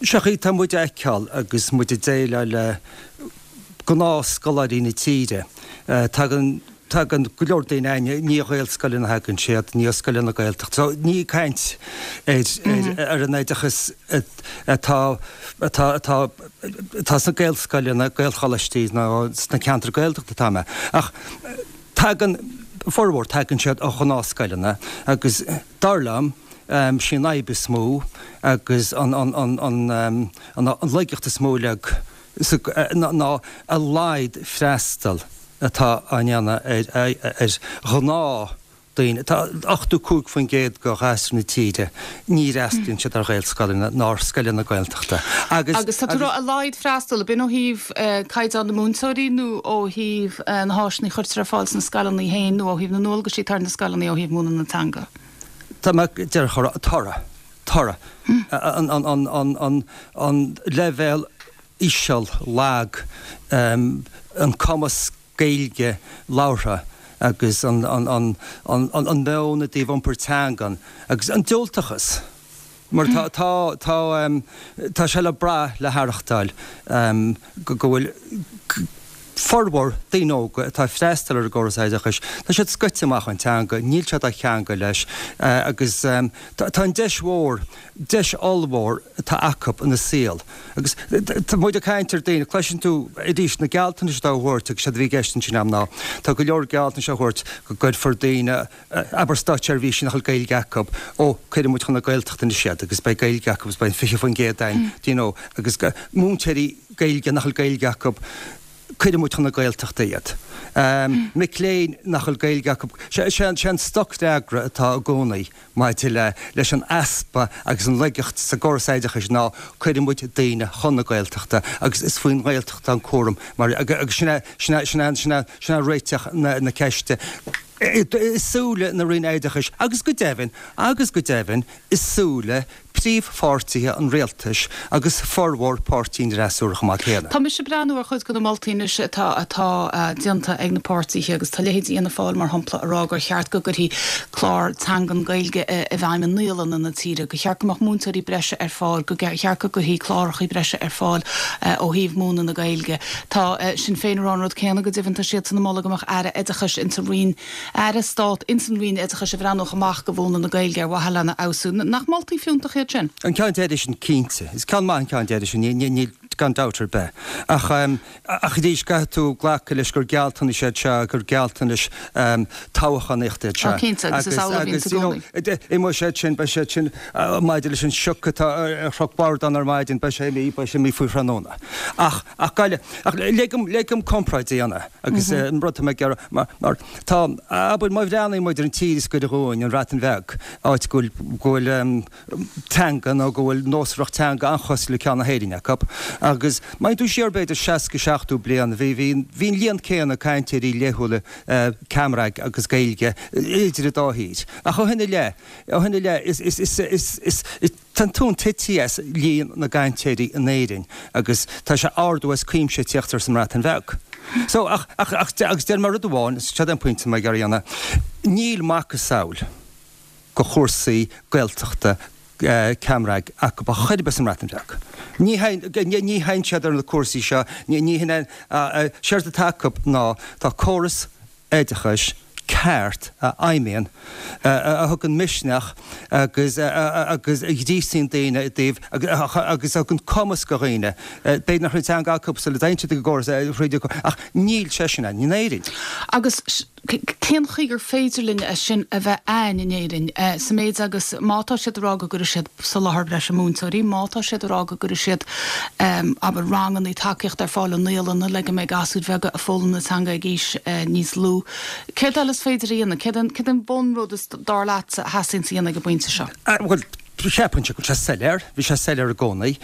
Seo chaoi tá muid a fheiceáil agus muid ag déileáil le gnáthscoláirí na tíre. Tagann, tagann go leor daoine againne, ní ó Ghaelscoileanna a thagann siad, ní ó scoileanna Gaeltachta. So ní ag caint ar, ar, ar an oideachas atá, atá, atá, atá sna Gaelscoileanna, Gaelcholáistí nó sna ceantair Gaeltachta atá mé. Ach tagann, formhór, tagann siad ó ghnáthscoileanna agus dar liom, sí an fhadhb is mó agus an, an, an, an, an laigeacht is mó uilig ná a laghad freastal atá á ndéanamh ar ghnáth daoine. Tá 85% de ghasúir na tíre, ní fhreastalaíonn siad ar Ghaelscoileanna ná ar scoileanna Gaeltachta agus. Agus tá tú ag rá a laghad freastal, ab in ó thaobh caighdeán na múinteoirí nó ó thaobh na háiseanna a chuirtear ar fáil sna scoileanna féin nó ó thaobh na ndualgaisí atá ar na scoileanna ó thaobh múineadh na teanga? Tá mé díreach a rá toradh. toradh, an leibhéal íseal, lag, an cumas Gaeilge labhartha agus an meon i dtaobh iompar teangan agus an diúltachas mar tá tá tá sé le brath le haireachtáil go bhfuil formhór daoine óga atá ag freastal ar an gcóras oideachais, tá siad scoite amach ón teanga, níl siad á cheangal leis agus tá an deis mhór, deis ollmhór atá acu ina saol agus tá muid ag caint ar daoine, cloiseann tú arís na gealltanais atá á thabhairt agus séard a bhí i gceist ansin agam ná tá go leor gealltanais á thabhairt go gcuirfear daoine, abair státseirbhísigh nach bhfuil Gaeilge acu, ó cuirfidh muid chun na Gaeltachta anois iad agus beidh Gaeilge acu agus beidh an 20% againn, do you know, agus múinteoirí Gaeilge nach bhfuil Gaeilge acu, cuirfidh muid chun na Gaeltachta iad. Mic léinn nach bhfuil Gaeilge acu, sé an stocfhreagra atá i gcónaí maidir le leis an easpa agus an laigeacht sa gcóras oideachais ná cuirfidh muid daoine chun na Gaeltachta agus is faoin nGaeltacht an cúram mar agus sin é sin é sin é sin é sin é réiteach na na ceiste i súile na Roinne Oideachais agus go deimhin agus go deimhin i súile príomhpháirtithe an rialtais agus formhór páirtí an fhreasúra chomh maith céanna. Tá mise ag breathnú ar chuid de na moltaí anois atá atá déanta ag na páirtithe agus tá leithéidí Fhianna Fáil, mar shampla, ag rá gur cheart go gcuirfí clár teangan Gaeilge i bhfeidhm i naíolanna na tíre, gur cheart go mbeadh múinteoirí breise ar fáil, go cheart go gcuirfí cláracha breise ar fáil ó thaobh múineadh na Gaeilge. Tá Sinn Féin ag rá an rud céanna, go deimhin tá siadsan ag moladh go mbeadh Aire Oideachais insa Roinn Aire Stát ins an Roinn Oideachais a bhreathnódh amach go mhúineadh na Gaeilge ar mhaithe lena fheabhsú. Nach moltaí fiúntacha iad sin? An ceann deiridh sin, cinnte. Is ceann maith an ceann deiridh sin, níl gan dabht ar bith. Ach, ach arís, caithfidh tú glacadh leis gur gealltanais iad seo, gur gealltanais toghchánaíochta iad seo. Ó, cinnte, agus is amhlaidh a bhíonns i gcónaí. Agus, you know, imeoidh siad sin, beidh siad sin, maidir leis an sioc atá ar Chnoc Bhordáin ar maidin, beidh sé imithe, beidh sé imithe faoi thráthnóna. Ach, ach, ach lig dom, lig dom comparáid a dhéanamh. Agus an rud atá mé ag iarraidh, mar tá, abair, má bhreathnaíonn muid ar an tír is gaire dhúinn, an Bhreatain Bheag, áit go bhfuil, go bhfuil teanga nó go bhfuil nósmhaireacht teanga an-chosúil le ceann na hÉireann acu, agus má théann tú siar b'fhéidir 60, 70 bliain, bhí, bhí, bhí an líon céanna cainteoirí laethúla Cymraeg agus Gaeilge idir an dá thír. Ach ó shin i leith, ó shin i leith, is, is, is, is, is, is, Tá an tóin tite as líon na gcainteoirí in Éirinn agus tá sé ardú as cuimse ag tíocht air sa mBreatain Bheag. So, ach, ach, ach, agus déarfaidh mé rud amháin, seo é an pointe atá mé ag iarraidh a dhéanamh, níl macasamhail de chúrsaí Gaeltachta Cymraeg acu ar chor ar bith sa mBreatain Bheag. Ní théann, ní théann siad ar na cúrsaí seo, ní, ní hin é, séard atá acu ná tá córas oideachais ceart a fheidhmíonn, a thugann misneach agus agus a ghríosaíonn daoine i dtaobh agus a thugann cumas do dhaoine. B'fhéidir nach raibh an teanga acu sula dtéann siad ag an gcóras ach níl sé sin ann in Éirinn. Agus cén chaoi gur féidir linn é sin a bheith ann in Éirinn sa méid agus má tá siad ag rá go gcuirfidh siad soláthar breise múinteoirí, má tá siad ag rá go gcuirfidh siad, abair, ranganna tacaíochta ar fáil i naíolanna le go mbeidh gasúir bheaga ag foghlaim na teanga ag aois níos lú. Céard eile is féidir a dhéanamh? Céard é, céard é an bunrud is, dar leatsa, a theastaíonns a dhéanamh ag an bpointe seo? Bhuel, cheapfainnse go bhfuil sé soiléir, bhí sé soiléir i gcónaí,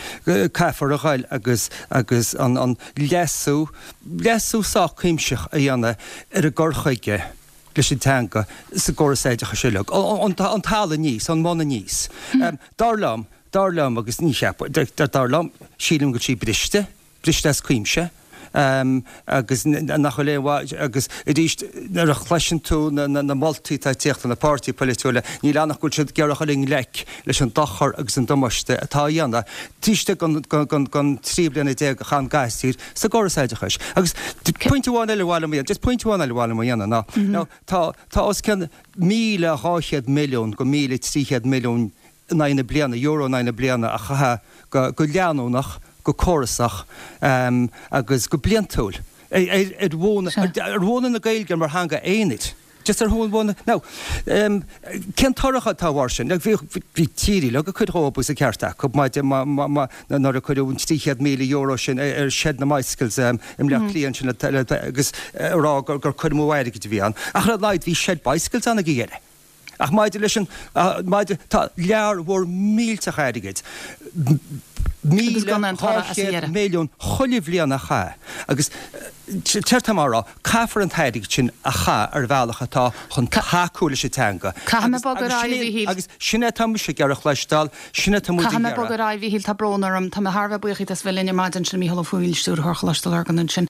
caithfear a ghoil agus, agus an, an leasú, leasú sách cuimsitheach a dhéanamh ar an gcur chuige leis an teanga sa gcóras oideachais uilig, ón talamh aníos, ón mbun aníos. Dar liom, dar liom, agus ní cheapaim, dar liom, sílim go bhfuil sí briste, briste as cuimse. Agus nach bhfuil aon mhaith, agus arís nuair a chloiseann tú na moltaí atá ag tíocht ó na páirtithe polaitiúla, níl ann ach go bhfuil siad ag iarraidh dul i ngleic leis an dochar agus an damáiste atá á dhéanamh taobh istigh den 13 bliana a chaith an gasúr sa gcóras oideachais. Agus pointe amháin eile a mhaith liom a dhéanamh, just pointe amháin eile a mhaith liom a dhéanamh ná, tá tá os cionn 1,200 milliún go 1,300 milliún in aghaidh na bliana, euro in aghaidh na bliana a chaitheamh go leanúnach, go córasach agus go bliantúil ar mhúineadh na Gaeilge mar theanga aonair. Just ar mhúineadh. Now, cén toradh atá air sin? Bhí tír uilig ag cur dhóibh agus an ceart acu maidir nuair a cuireadh an €300,000 sin ar shed na mbicycles i mBleá Cliath ansin agus a rá gur cur amú airgid a bhí ann. Ach ar a laghad bhí shed bicycles ann ag a dheireadh. Ach maidir leis an, maidir, tá lear mhór millteach airgid, 1,200 milliún chuile bhliain á chaitheamh agus céard tá mé a rá, caithfear an t-airgead sin a chaitheamh ar bhealach atá chun tacú leis an teanga. Caithfidh mé bogadh ar aghaidh, a Mhíchíl. Agus sin é atá mise ag iarraidh a chloisteáil, sin é atá muid ag Caithfidh mé bogadh iarraidh. ar aghaidh, a Mhíchíl, tá brón orm. Tá mé thar a bheith buíoch díot as bheith linn ar maidin, sin Mícheál Ó Foighil, Stiúrthóir Choláiste Lurgan ansin.